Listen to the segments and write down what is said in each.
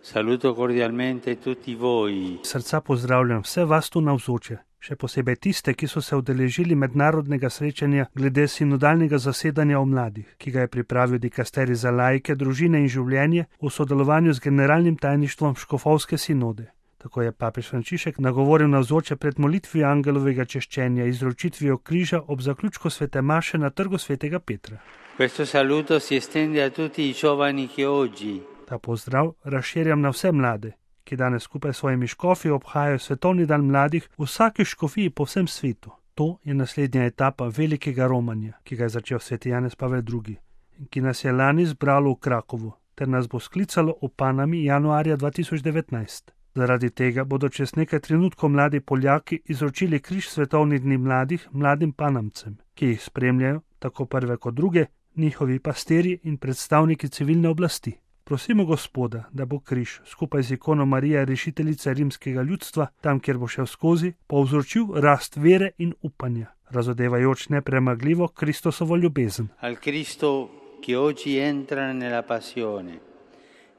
Saluto cordialmente tutti voi. Srca pozdravljam vse vas tu navzoče, še posebej tiste, ki so se udeležili mednarodnega srečanja glede sinodalnega zasedanja o mladih, ki ga je pripravil dikasterij za laike, družine in življenje v sodelovanju z generalnim tajništvom Škofovske sinode. Tako je papež Frančišek nagovoril navzoče pred molitvijo angelovega češčenja, izročitvijo križa ob zaključku svete maše na trgu svetega Petra. Questo saluto si estende a tutti i giovani che oggi Ta pozdrav razširjam na vse mlade, ki danes skupaj s svojimi škofi obhajajo svetovni dan mladih v vsaki škofiji po vsem svetu. To je naslednja etapa velikega romanja, ki ga je začel sveti Janez Pavel II, in ki nas je lani zbralo v Krakovu, ter nas bo sklicalo v Panami januarja 2019. Zaradi tega bodo čez nekaj trenutkov mladi Poljaki izročili križ svetovnih dni mladih mladim Panamcem, ki jih spremljajo, tako prve kot druge, njihovi pastirji in predstavniki civilne oblasti. Prosimo Gospoda, da bo križ skupaj z ikono Marije, rešiteljice rimskega ljudstva, tam, kjer bo šel skozi, povzročil rast vere in upanja, razodevajoč nepremagljivo Kristosovo ljubezen. al Cristo che oggi entra nella passione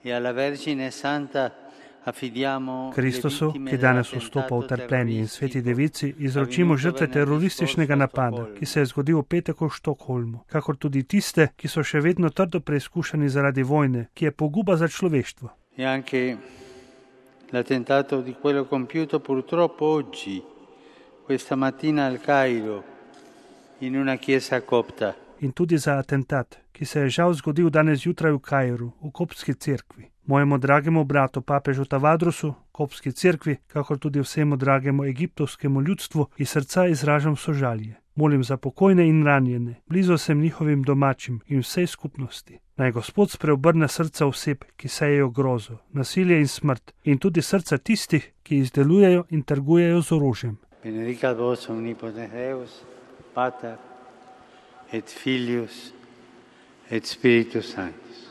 e alla Vergine Santa affidiamo Kristosu, ki danes vstopa v trpljenje, in sveti devici izročimo žrtve terorističnega napada, ki se je zgodil v petek v Štokholmu, kakor tudi tiste, ki so še vedno trdo preizkušani zaradi vojne, ki je poguba za človeštvo. e anche l'attentato di quello compiuto purtroppo oggi, questa mattina al Cairo, in una chiesa copta. In tudi za atentat, ki se je žal zgodil danes jutraj v Kairu, v koptski cerkvi. Mojemu dragemu bratu papežu Tavadrosu, koptski cerkvi, kakor tudi vsemu dragemu egiptovskemu ljudstvu, iz srca izražam sožalje. Molim za pokojne in ranjene, blizu sem njihovim domačim in vsej skupnosti. Naj Gospod spreobrne srca oseb, ki sejejo grozo, nasilje in smrt, in tudi srca tistih, ki izdelujejo in trgujejo z orožjem. Benedicat vos omnipotens Deus, Pater et Filius et Spiritus Sanctus.